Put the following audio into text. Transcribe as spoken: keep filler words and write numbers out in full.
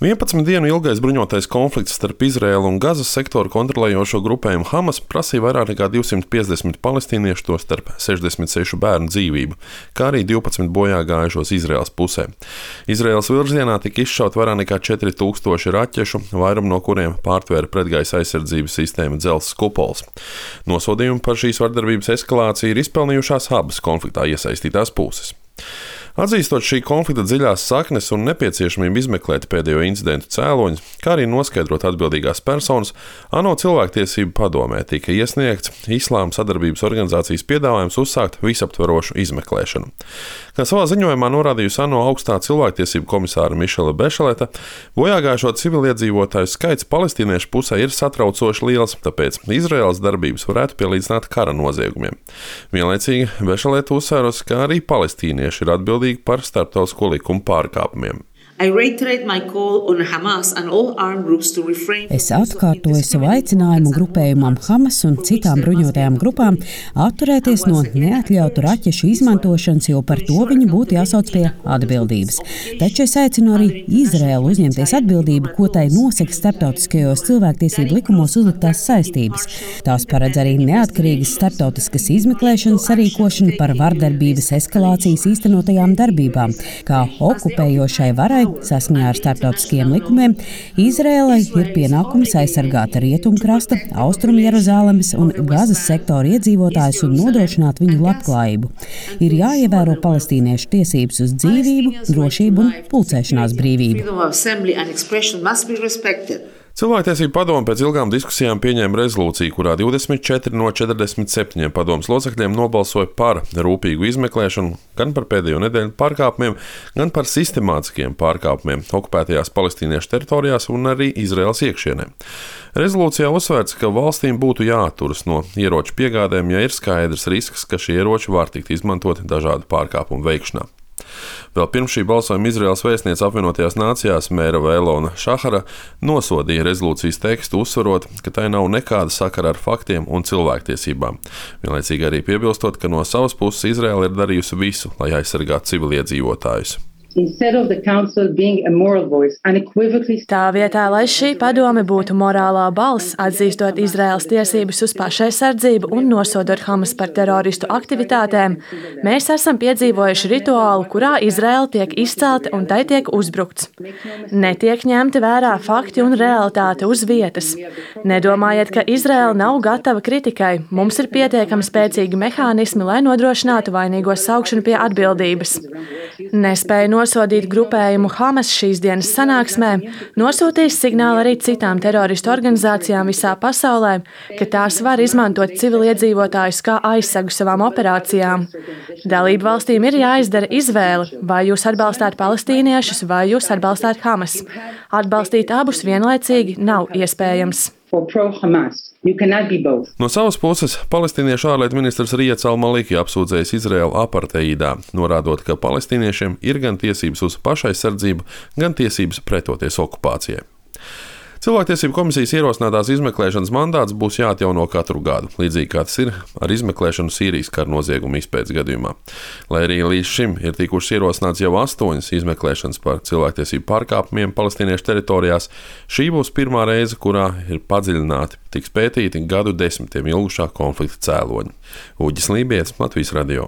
vienpadsmit dienu ilgais bruņotais konflikts starp Izraēlu un Gazas sektoru kontrolējošo grupējumu Hamas prasīja vairāk nekā divsimt piecdesmit palestīniešu, tostarp sešdesmit sešu bērnu dzīvību, kā arī divpadsmit bojā gājušos Izraēlas pusē. Izraēlas virzienā tika izšaut vairāk nekā četri tūkstoši raķešu, vairumu no kuriem pārtvēra pretgaisa aizsardzības sistēma dzelzs kupols. Nosodījumu par šīs vardarbības eskalāciju ir izpelnījušās abas konfliktā iesaistītās puses. Atzīstot šī konflikta dziļās saknes un nepieciešamību izmeklēt pēdējo incidentu cēloņus, kā arī noskaidrot atbildīgās personas, ANO cilvēktiesību padomē tika iesniegts Islāma sadarbības organizācijas piedāvājums uzsākt visaptverošu izmeklēšanu. Kā savā ziņojumā norādījusi ANO augstā cilvēktiesību komisāra Mišela Bešeleta, bojāgājušo civiliedzīvotāju skaits palestīniešu pusē ir satraucoši liels, tāpēc Izraēlas darbības varētu pielīdzināt kara noziegumiem. Vienlaicīgi Bešeleta uzsvērusi, ka arī palestīnieši ir atbildīgi par starptautisko likumu pārkāpumiem. Es atkārtoju savu aicinājumu grupējumam Hamas un citām bruņotajām grupām atturēties no neatļautu raķešu izmantošanas, jo par to viņi būtu jāsauc pie atbildības. Taču es aicinu arī Izraēlu uzņemties atbildību, ko tai nosaka starptautiskajos cilvēktiesību likumos uzliktās saistības. Tās paredz arī neatkarīgas starptautiskas izmeklēšanas sarīkošanu par vardarbības eskalācijas īstenotajām darbībām, kā okupējošai varai. Saskaņā ar starptautiskajiem likumiem Izraēlai ir pienākums aizsargāt Rietumkrasta, Austrumu Jeruzālemes un Gazas sektoru iedzīvotājus un nodrošināt viņu labklājību. Ir jāievēro palestīniešu tiesības uz dzīvību, drošību un pulcēšanās brīvību. Cilvēktiesību padome pēc ilgām diskusijām pieņēma rezolūciju, kurā divdesmit četri no četrdesmit septiņiem padomes locekļiem nobalsoja par rūpīgu izmeklēšanu gan par pēdējo nedēļu pārkāpumiem, gan par sistemātiskiem pārkāpumiem okupētajās palestīniešu teritorijās un arī Izraēlas iekšienē. Rezolūcijā uzsvērts, ka valstīm būtu jāatturas no ieroču piegādēm, ja ir skaidrs risks, ka šie ieroči var tikt izmantoti dažādu pārkāpumu veikšanā. Vēl pirms šī balsojuma Izraēlas vēstniece apvienotajās nācijās Mērava Elona Šahara nosodīja rezolūcijas tekstu, uzsverot, ka tai nav nekāda sakara ar faktiem un cilvēktiesībām. Vienlaicīgi arī piebilstot, ka no savas puses Izraēla ir darījusi visu, lai aizsargātu civiliedzīvotājus. Tā vietā, lai šī padome būtu morālā balss, atzīstot Izraēlas tiesības uz pašaizsardzību un nosodot Hamas par teroristu aktivitātēm, mēs esam piedzīvojuši rituālu, kurā Izraēla tiek izcelta un tai tiek uzbrukts. Netiek ņemti vērā fakti un realitāte uz vietas. Nedomājiet, ka Izraēla nav gatava kritikai. Mums ir pietiekami spēcīgi mehānismi, lai nodrošinātu vainīgo saukšanu pie atbildības. Nespēja nosodīt grupējumu Hamas šīs dienas sanāksmē, nosūtīs signālu arī citām teroristu organizācijām visā pasaulē, ka tās var izmantot civiliedzīvotājus kā aizsegu savām operācijām. Dalību valstīm ir jāizdara izvēle, vai jūs atbalstāt palestīniešus, vai jūs atbalstāt Hamas. Atbalstīt abus vienlaicīgi nav iespējams. No savas puses, palestīniešu ārlietu ministrs Riets al-Maliki apsūdzējis Izraēlu apartheidā, norādot, ka palestīniešiem ir gan tiesības uz pašaizsardzību, gan tiesības pretoties okupācijai. Cilvēktiesību komisijas ierosinātās izmeklēšanas mandāts būs jāatjauno katru gadu, līdzīgi kā tas ir ar izmeklēšanu Sīrijas kara noziegumu izpētes gadījumā. Lai arī līdz šim ir tikušas ierosināts jau astoņas izmeklēšanas par cilvēktiesību pārkāpumiem palestīniešu teritorijās, šī būs pirmā reize, kurā ir padziļināti tiks pētīti gadu desmitiem ilgušā konflikta cēloņi. Uģis Lībietis, Latvijas radio.